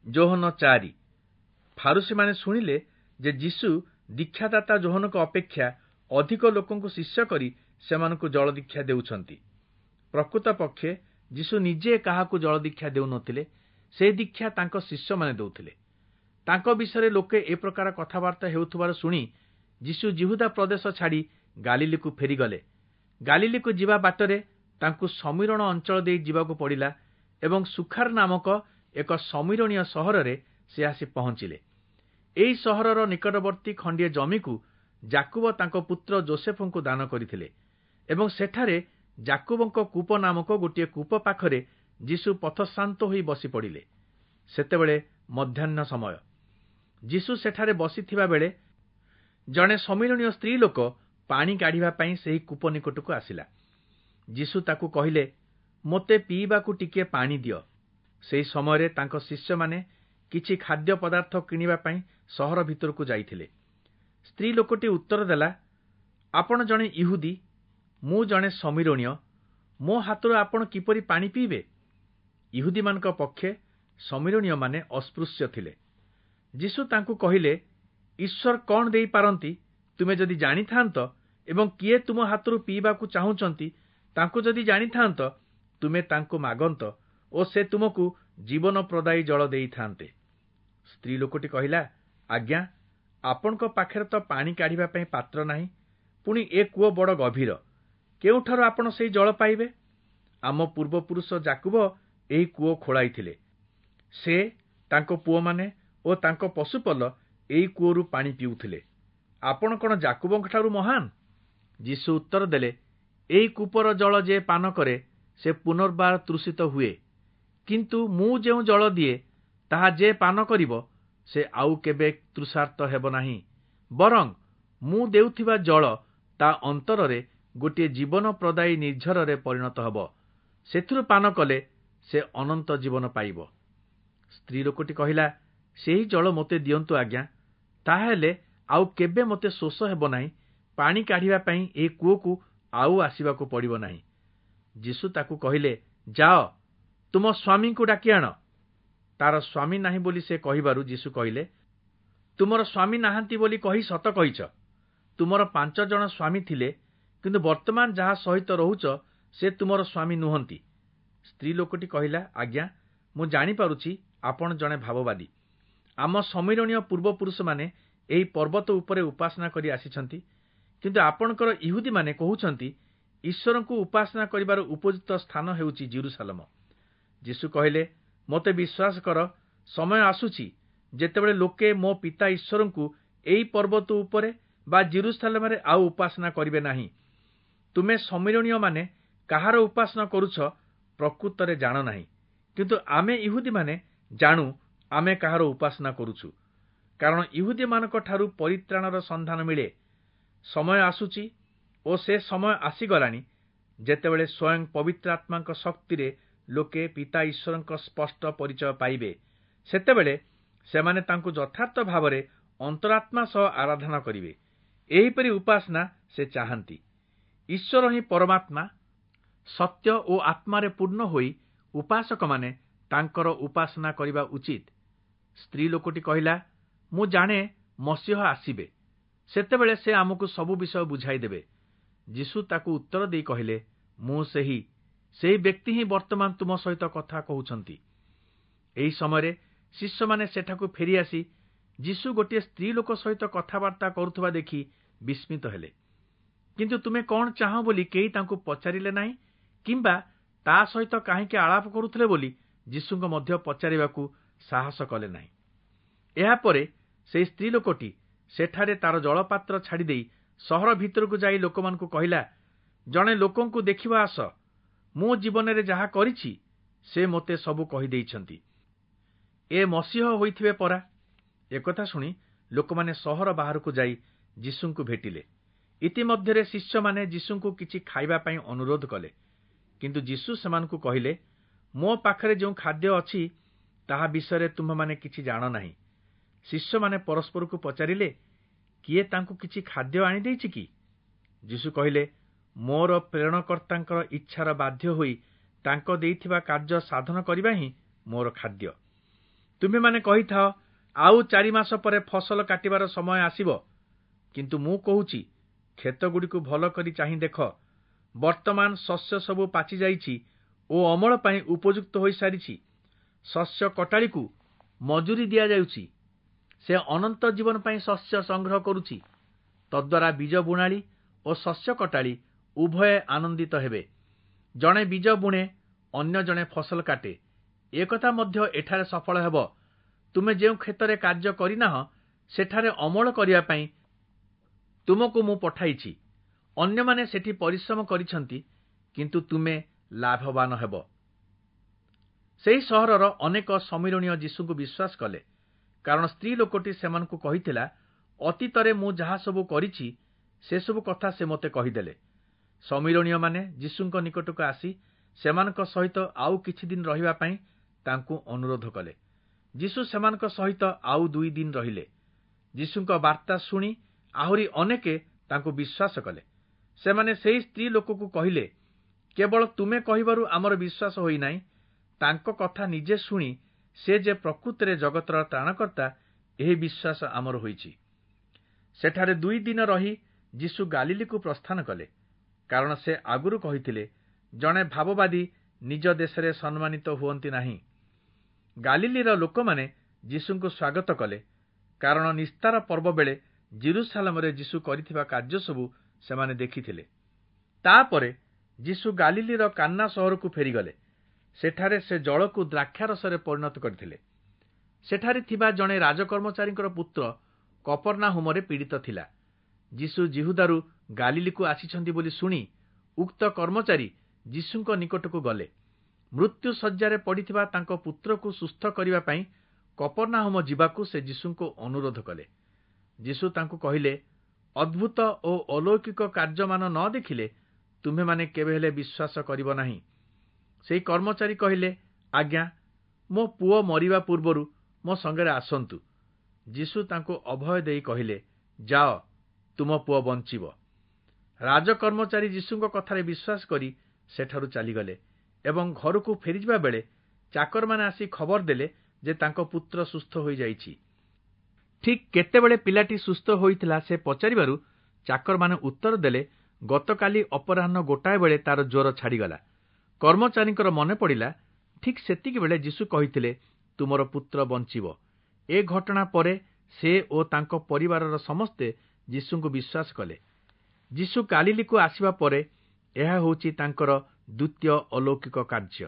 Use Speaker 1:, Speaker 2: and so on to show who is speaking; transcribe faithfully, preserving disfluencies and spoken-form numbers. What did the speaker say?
Speaker 1: ଯୋହନ ଚାରି। ଫାରୁଶୀମାନେ ଶୁଣିଲେ ଯେ ଯୀଶୁ ଦୀକ୍ଷାଦାତା ଯୋହନଙ୍କ ଅପେକ୍ଷା ଅଧିକ ଲୋକଙ୍କୁ ଶିଷ୍ୟ କରି ସେମାନଙ୍କୁ ଜଳଦୀକ୍ଷା ଦେଉଛନ୍ତି। ପ୍ରକୃତ ପକ୍ଷେ ଯୀଶୁ ନିଜେ କାହାକୁ ଜଳଦୀକ୍ଷା ଦେଉନଥିଲେ, ସେ ଦୀକ୍ଷା ତାଙ୍କ ଶିଷ୍ୟମାନେ ଦେଉଥିଲେ। ତାଙ୍କ ବିଷୟରେ ଲୋକେ ଏ ପ୍ରକାର କଥାବାର୍ତ୍ତା ହେଉଥିବାର ଶୁଣି ଯୀଶୁ ଯିହୁଦା ପ୍ରଦେଶ ଛାଡ଼ି ଗାଲିଲିକୁ ଫେରିଗଲେ। ଗାଲିଲିକୁ ଯିବା ବାଟରେ ତାଙ୍କୁ ସମୀରଣ ଅଞ୍ଚଳ ଦେଇ ଯିବାକୁ ପଡ଼ିଲା ଏବଂ ସୁଖାର ନାମକ ଏକ ସମୀରଣୀୟ ସହରରେ ସେ ଆସି ପହଞ୍ଚିଲେ। ଏହି ସହରର ନିକଟବର୍ତ୍ତୀ ଖଣ୍ଡିଏ ଜମିକୁ ଯାକୁବ ତାଙ୍କ ପୁତ୍ର ଜୋସେଫଙ୍କୁ ଦାନ କରିଥିଲେ ଏବଂ ସେଠାରେ ଯାକୁବଙ୍କ କୂପ ନାମକ ଗୋଟିଏ କୂପ ପାଖରେ ଯୀଶୁ ପଥଶ୍ରାନ୍ତ ହୋଇ ବସି ପଡ଼ିଲେ। ସେତେବେଳେ ମଧ୍ୟାହ୍ନ ସମୟ। ଯୀଶୁ ସେଠାରେ ବସିଥିବା ବେଳେ ଜଣେ ସମୀରଣୀୟ ସ୍ତ୍ରୀ ଲୋକ ପାଣି କାଢ଼ିବା ପାଇଁ ସେହି କୂପ ନିକଟକୁ ଆସିଲା। ଯୀଶୁ ତାକୁ କହିଲେ, ମୋତେ ପିଇବାକୁ ଟିକିଏ ପାଣି ଦିଅ। ସେହି ସମୟରେ ତାଙ୍କ ଶିଷ୍ୟମାନେ କିଛି ଖାଦ୍ୟ ପଦାର୍ଥ କିଣିବା ପାଇଁ ସହର ଭିତରକୁ ଯାଇଥିଲେ। ସ୍ତ୍ରୀ ଲୋକଟି ଉତ୍ତର ଦେଲା, ଆପଣ ଜଣେ ଇହୁଦୀ, ମୁଁ ଜଣେ ସମୀରଣୀୟ, ମୋ ହାତରୁ ଆପଣ କିପରି ପାଣି ପିଇବେ? ଇହୁଦୀମାନଙ୍କ ପକ୍ଷେ ସମୀରଣୀୟମାନେ ଅସ୍ପୃଶ୍ୟ ଥିଲେ। ଯୀଶୁ ତାଙ୍କୁ କହିଲେ, ଈଶ୍ୱର କ'ଣ ଦେଇପାରନ୍ତି ତୁମେ ଯଦି ଜାଣିଥାନ୍ତ ଏବଂ କିଏ ତୁମ ହାତରୁ ପିଇବାକୁ ଚାହୁଁଛନ୍ତି ତାଙ୍କୁ ଯଦି ଜାଣିଥାନ୍ତ, ତୁମେ ତାଙ୍କୁ ମାଗନ୍ତ ଓ ସେ ତୁମକୁ ଜୀବନ ପ୍ରଦାୟୀ ଜଳ ଦେଇଥାନ୍ତେ। ସ୍ତ୍ରୀ ଲୋକଟି କହିଲା, ଆଜ୍ଞା, ଆପଣଙ୍କ ପାଖରେ ତ ପାଣି କାଢ଼ିବା ପାଇଁ ପାତ୍ର ନାହିଁ, ପୁଣି ଏ କୂଅ ବଡ଼ ଗଭୀର, କେଉଁଠାରୁ ଆପଣ ସେଇ ଜଳ ପାଇବେ? ଆମ ପୂର୍ବପୁରୁଷ ଯାକୁବ ଏହି କୂଅ ଖୋଳାଇଥିଲେ। ସେ, ତାଙ୍କ ପୁଅମାନେ ଓ ତାଙ୍କ ପଶୁପଲ ଏହି କୂଅରୁ ପାଣି ପିଉଥିଲେ। ଆପଣ କ'ଣ ଯାକୁବଙ୍କଠାରୁ ମହାନ? ଯୀଶୁ ଉତ୍ତର ଦେଲେ, ଏହି କୂପର ଜଳ ଯେ ପାନ କରେ ସେ ପୁନର୍ବାର ତୃଷିତ ହୁଏ, କିନ୍ତୁ ମୁଁ ଯେଉଁ ଜଳ ଦିଏ ତାହା ଯେ ପାନ କରିବ ସେ ଆଉ କେବେ ତୃଷାର୍ତ୍ତ ହେବ ନାହିଁ, ବରଂ ମୁଁ ଦେଉଥିବା ଜଳ ତା ଅନ୍ତରରେ ଗୋଟିଏ ଜୀବନ ପ୍ରଦାୟୀ ନିର୍ଝରରେ ପରିଣତ ହେବ। ସେଥିରୁ ପାନ କଲେ ସେ ଅନନ୍ତ ଜୀବନ ପାଇବ। ସ୍ତ୍ରୀ ଲୋକଟି କହିଲା, ସେହି ଜଳ ମୋତେ ଦିଅନ୍ତୁ ଆଜ୍ଞା, ତାହାହେଲେ ଆଉ କେବେ ମୋତେ ଶୋଷ ହେବ ନାହିଁ, ପାଣି କାଢ଼ିବା ପାଇଁ ଏହି କୂଅକୁ ଆଉ ଆସିବାକୁ ପଡ଼ିବ ନାହିଁ। ଯୀଶୁ ତାକୁ କହିଲେ, ଯାଅ, ତୁମ ସ୍ୱାମୀଙ୍କୁ ଡାକି ଆଣ। ତାର ସ୍ୱାମୀ ନାହିଁ ବୋଲି ସେ କହିବାରୁ ଯୀଶୁ କହିଲେ, ତୁମର ସ୍ୱାମୀ ନାହାନ୍ତି ବୋଲି କହି ସତ କହିଛ। ତୁମର ପାଞ୍ଚ ଜଣ ସ୍ୱାମୀ ଥିଲେ, କିନ୍ତୁ ବର୍ତ୍ତମାନ ଯାହା ସହିତ ରହୁଛ ସେ ତୁମର ସ୍ୱାମୀ ନୁହନ୍ତି। ସ୍ତ୍ରୀ ଲୋକଟି କହିଲା, ଆଜ୍ଞା, ମୁଁ ଜାଣିପାରୁଛି ଆପଣ ଜଣେ ଭାବବାଦୀ। ଆମ ସମୀରଣୀୟ ପୂର୍ବପୁରୁଷମାନେ ଏହି ପର୍ବତ ଉପରେ ଉପାସନା କରି ଆସିଛନ୍ତି, କିନ୍ତୁ ଆପଣଙ୍କର ଇହୁଦୀମାନେ କହୁଛନ୍ତି ଈଶ୍ୱରଙ୍କୁ ଉପାସନା କରିବାର ଉପଯୁକ୍ତ ସ୍ଥାନ ହେଉଛି ଜିରୁସାଲମ। ଯୀଶୁ କହିଲେ, ମୋତେ ବିଶ୍ୱାସ କର, ସମୟ ଆସୁଛି ଯେତେବେଳେ ଲୋକେ ମୋ ପିତା ଈଶ୍ୱରଙ୍କୁ ଏହି ପର୍ବତ ଉପରେ ବା ଜିରୁସାଲମରେ ଆଉ ଉପାସନା କରିବେ ନାହିଁ। ତୁମେ ସମୀରଣୀୟମାନେ କାହାର ଉପାସନା କରୁଛ ପ୍ରକୃତରେ ଜାଣ ନାହିଁ, କିନ୍ତୁ ଆମେ ଇହୁଦୀମାନେ ଜାଣୁ ଆମେ କାହାର ଉପାସନା କରୁଛୁ, କାରଣ ଇହୁଦୀମାନଙ୍କ ଠାରୁ ପରିତ୍ରାଣର ସନ୍ଧାନ ମିଳେ। ସମୟ ଆସୁଛି ଓ ସେ ସମୟ ଆସିଗଲାଣି ଯେତେବେଳେ ସ୍ୱୟଂ ପବିତ୍ରାତ୍ମାଙ୍କ ଶକ୍ତିରେ ଲୋକେ ପିତା ଈଶ୍ୱରଙ୍କ ସ୍ପଷ୍ଟ ପରିଚୟ ପାଇବେ। ସେତେବେଳେ ସେମାନେ ତାଙ୍କୁ ଯଥାର୍ଥ ଭାବରେ ଅନ୍ତରାତ୍ମା ସହ ଆରାଧନା କରିବେ। ଏହିପରି ଉପାସନା ସେ ଚାହାନ୍ତି। ଈଶ୍ୱର ହିଁ ପରମାତ୍ମା, ସତ୍ୟ ଓ ଆତ୍ମାରେ ପୂର୍ଣ୍ଣ ହୋଇ ଉପାସକମାନେ ତାଙ୍କର ଉପାସନା କରିବା ଉଚିତ। ସ୍ତ୍ରୀ ଲୋକଟି କହିଲା, ମୁଁ ଜାଣେ ମସିହ ଆସିବେ, ସେତେବେଳେ ସେ ଆମକୁ ସବୁ ବିଷୟ ବୁଝାଇଦେବେ। ଯୀଶୁ ତାକୁ ଉତ୍ତର ଦେଇ କହିଲେ, ମୁଁ ସେହି, ସେହି ବ୍ୟକ୍ତି ହିଁ ବର୍ତ୍ତମାନ ତୁମ ସହିତ କଥା କହୁଛନ୍ତି। ଏହି ସମୟରେ ଶିଷ୍ୟମାନେ ସେଠାକୁ ଫେରିଆସି ଯୀଶୁ ଗୋଟିଏ ସ୍ତ୍ରୀ ଲୋକ ସହିତ କଥାବାର୍ତ୍ତା କରୁଥିବା ଦେଖି ବିସ୍ମିତ ହେଲେ। କିନ୍ତୁ ତୁମେ କ'ଣ ଚାହଁ ବୋଲି କେହି ତାଙ୍କୁ ପଚାରିଲେ ନାହିଁ, କିମ୍ବା ତା ସହିତ କାହିଁକି ଆଳାପ କରୁଥିଲେ ବୋଲି ଯୀଶୁଙ୍କ ମଧ୍ୟ ପଚାରିବାକୁ ସାହସ କଲେ ନାହିଁ। ଏହାପରେ ସେହି ସ୍ତ୍ରୀ ଲୋକଟି ସେଠାରେ ତାର ଜଳପାତ୍ର ଛାଡ଼ିଦେଇ ସହର ଭିତରକୁ ଯାଇ ଲୋକମାନଙ୍କୁ କହିଲା, ଜଣେ ଲୋକଙ୍କୁ ଦେଖିବା ଆସ, ମୁଁ ଜୀବନରେ ଯାହା କରିଛି ସେ ମୋତେ ସବୁ କହିଦେଇଛନ୍ତି। ଏ ମସିହ ହୋଇଥିବେ ପରା। ଏକଥା ଶୁଣି ଲୋକମାନେ ସହର ବାହାରକୁ ଯାଇ ଯୀଶୁଙ୍କୁ ଭେଟିଲେ। ଇତିମଧ୍ୟରେ ଶିଷ୍ୟମାନେ ଯୀଶୁଙ୍କୁ କିଛି ଖାଇବା ପାଇଁ ଅନୁରୋଧ କଲେ, କିନ୍ତୁ ଯୀଶୁ ସେମାନଙ୍କୁ କହିଲେ, ମୋ ପାଖରେ ଯେଉଁ ଖାଦ୍ୟ ଅଛି ତାହା ବିଷୟରେ ତୁମ୍ଭେମାନେ କିଛି ଜାଣ ନାହିଁ। ଶିଷ୍ୟମାନେ ପରସ୍ପରକୁ ପଚାରିଲେ, କିଏ ତାଙ୍କୁ କିଛି ଖାଦ୍ୟ ଆଣିଦେଇଛି କି? ଯୀଶୁ କହିଲେ, ମୋର ପ୍ରେରଣକର୍ତ୍ତାଙ୍କର ଇଚ୍ଛାର ବାଧ୍ୟ ହୋଇ ତାଙ୍କ ଦେଇଥିବା କାର୍ଯ୍ୟ ସାଧନ କରିବା ହିଁ ମୋର ଖାଦ୍ୟ। ତୁମେମାନେ କହିଥାଅ, ଆଉ ଚାରି ମାସ ପରେ ଫସଲ କାଟିବାର ସମୟ ଆସିବ। କିନ୍ତୁ ମୁଁ କହୁଛି, କ୍ଷେତଗୁଡ଼ିକୁ ଭଲ କରି ଚାହିଁ ଦେଖ, ବର୍ତ୍ତମାନ ଶସ୍ୟ ସବୁ ପାଚିଯାଇଛି ଓ ଅମଳ ପାଇଁ ଉପଯୁକ୍ତ ହୋଇସାରିଛି। ଶସ୍ୟ କଟାଳିକୁ ମଜୁରୀ ଦିଆଯାଉଛି, ସେ ଅନନ୍ତ ଜୀବନ ପାଇଁ ଶସ୍ୟ ସଂଗ୍ରହ କରୁଛି। ତଦ୍ୱାରା ବୀଜ ବୁଣାଳି ଓ ଶସ୍ୟ କଟାଳି ଉଭୟେ ଆନନ୍ଦିତ ହେବେ। ଜଣେ ବୀଜ ବୁଣେ, ଅନ୍ୟ ଜଣେ ଫସଲ କାଟେ। ଏକଥା ମଧ୍ୟ ଏଠାରେ ସଫଳ ହେବ। ତୁମେ ଯେଉଁ କ୍ଷେତରେ କାର୍ଯ୍ୟ କରିନାହଁ, ସେଠାରେ ଅମଳ କରିବା ପାଇଁ ତୁମକୁ ମୁଁ ପଠାଇଛି। ଅନ୍ୟମାନେ ସେଠି ପରିଶ୍ରମ କରିଛନ୍ତି, କିନ୍ତୁ ତୁମେ ଲାଭବାନ ହେବ। ସେହି ସହରର ଅନେକ ଶମିରୋଣୀୟ ଯୀଶୁଙ୍କୁ ବିଶ୍ୱାସ କଲେ, କାରଣ ସ୍ତ୍ରୀ ଲୋକଟି ସେମାନଙ୍କୁ କହିଥିଲା, ଅତୀତରେ ମୁଁ ଯାହା ସବୁ କରିଛି ସେସବୁ କଥା ସେ ମୋତେ କହିଦେଲେ। ଶମିରୋଣୀୟମାନେ ଯୀଶୁଙ୍କ ନିକଟକୁ ଆସି ସେମାନଙ୍କ ସହିତ ଆଉ କିଛି ଦିନ ରହିବା ପାଇଁ ତାଙ୍କୁ ଅନୁରୋଧ କଲେ। ଯୀଶୁ ସେମାନଙ୍କ ସହିତ ଆଉ ଦୁଇ ଦିନ ରହିଲେ। ଯୀଶୁଙ୍କ ବାର୍ତ୍ତା ଶୁଣି ଆହୁରି ଅନେକେ ତାଙ୍କୁ ବିଶ୍ୱାସ କଲେ। ସେମାନେ ସେହି ସ୍ତ୍ରୀ ଲୋକକୁ କହିଲେ, କେବଳ ତୁମେ କହିବାରୁ ଆମର ବିଶ୍ୱାସ ହୋଇନାହିଁ, ତାଙ୍କ କଥା ନିଜେ ଶୁଣି ସେ ଯେ ପ୍ରକୃତରେ ଜଗତର ତ୍ରାଣକର୍ତ୍ତା, ଏହି ବିଶ୍ୱାସ ଆମର ହୋଇଛି। ସେଠାରେ ଦୁଇ ଦିନ ରହି ଯୀଶୁ ଗାଲିଲିକୁ ପ୍ରସ୍ଥାନ କଲେ, କାରଣ ସେ ଆଗରୁ କହିଥିଲେ, ଜଣେ ଭାବବାଦୀ ନିଜ ଦେଶରେ ସମ୍ମାନିତ ହୁଅନ୍ତି ନାହିଁ। ଗାଲିଲିର ଲୋକମାନେ ଯୀଶୁଙ୍କୁ ସ୍ୱାଗତ କଲେ, କାରଣ ନିସ୍ତାର ପର୍ବ ବେଳେ ଯିରୂଶାଲମରେ ଯୀଶୁ କରିଥିବା କାର୍ଯ୍ୟ ସବୁ ସେମାନେ ଦେଖିଥିଲେ। ତାପରେ ଯୀଶୁ ଗାଲିଲିର କାନ୍ନା ସହରକୁ ଫେରିଗଲେ। ସେଠାରେ ସେ ଜଳକୁ ଦ୍ରାକ୍ଷାରସରେ ପରିଣତ କରିଥିଲେ। ସେଠାରେ ଥିବା ଜଣେ ରାଜକର୍ମଚାରୀଙ୍କର ପୁତ୍ର କପର୍ନାହୁମରେ ପୀଡ଼ିତ ଥିଲା। ଯୀଶୁ ଯିହୁଦାରୁ ଗାଲିଲିକୁ ଆସିଛନ୍ତି ବୋଲି ଶୁଣି ଉକ୍ତ କର୍ମଚାରୀ ଯୀଶୁଙ୍କ ନିକଟକୁ ଗଲେ। ମୃତ୍ୟୁ ଶଯ୍ୟାରେ ପଡ଼ିଥିବା ତାଙ୍କ ପୁତ୍ରକୁ ସୁସ୍ଥ କରିବା ପାଇଁ କପର୍ନାହୁମ ଯିବାକୁ ସେ ଯୀଶୁଙ୍କୁ ଅନୁରୋଧ କଲେ। ଯୀଶୁ ତାଙ୍କୁ କହିଲେ, ଅଦ୍ଭୁତ ଓ ଅଲୌକିକ କାର୍ଯ୍ୟମାନ ନ ଦେଖିଲେ ତୁମ୍ଭେମାନେ କେବେ ହେଲେ ବିଶ୍ୱାସ କରିବ ନାହିଁ। ସେହି କର୍ମଚାରୀ କହିଲେ, ଆଜ୍ଞା, ମୋ ପୁଅ ମରିବା ପୂର୍ବରୁ ମୋ ସଙ୍ଗରେ ଆସନ୍ତୁ। ଯୀଶୁ ତାଙ୍କୁ ଅଭୟ ଦେଇ କହିଲେ, ଯାଅ, ତୁମ ପୁଅ ବଞ୍ଚିବ। ରାଜକର୍ମଚାରୀ ଯୀଶୁଙ୍କ କଥାରେ ବିଶ୍ୱାସ କରି ସେଠାରୁ ଚାଲିଗଲେ ଏବଂ ଘରକୁ ଫେରିଯିବା ବେଳେ ଚାକରମାନେ ଆସି ଖବର ଦେଲେ ଯେ ତାଙ୍କ ପୁତ୍ର ସୁସ୍ଥ ହୋଇଯାଇଛି। ଠିକ୍ କେତେବେଳେ ପିଲାଟି ସୁସ୍ଥ ହୋଇଥିଲା ସେ ପଚାରିବାରୁ ଚାକରମାନେ ଉତ୍ତର ଦେଲେ, ଗତକାଲି ଅପରାହ୍ନ ଗୋଟାଏ ବେଳେ ତାର ଜ୍ୱର ଛାଡ଼ିଗଲା। କର୍ମଚାରୀଙ୍କର ମନେ ପଡ଼ିଲା, ଠିକ୍ ସେତିକିବେଳେ ଯୀଶୁ କହିଥିଲେ, ତୁମର ପୁତ୍ର ବଞ୍ଚିବ। ଏ ଘଟଣା ପରେ ସେ ଓ ତାଙ୍କ ପରିବାରର ସମସ୍ତେ ଯୀଶୁଙ୍କୁ ବିଶ୍ୱାସ କଲେ। ଯୀଶୁ ଗାଲିଲିକୁ ଆସିବା ପରେ ଏହା ହେଉଛି ତାଙ୍କର ଦ୍ୱିତୀୟ ଅଲୌକିକ କାର୍ଯ୍ୟ।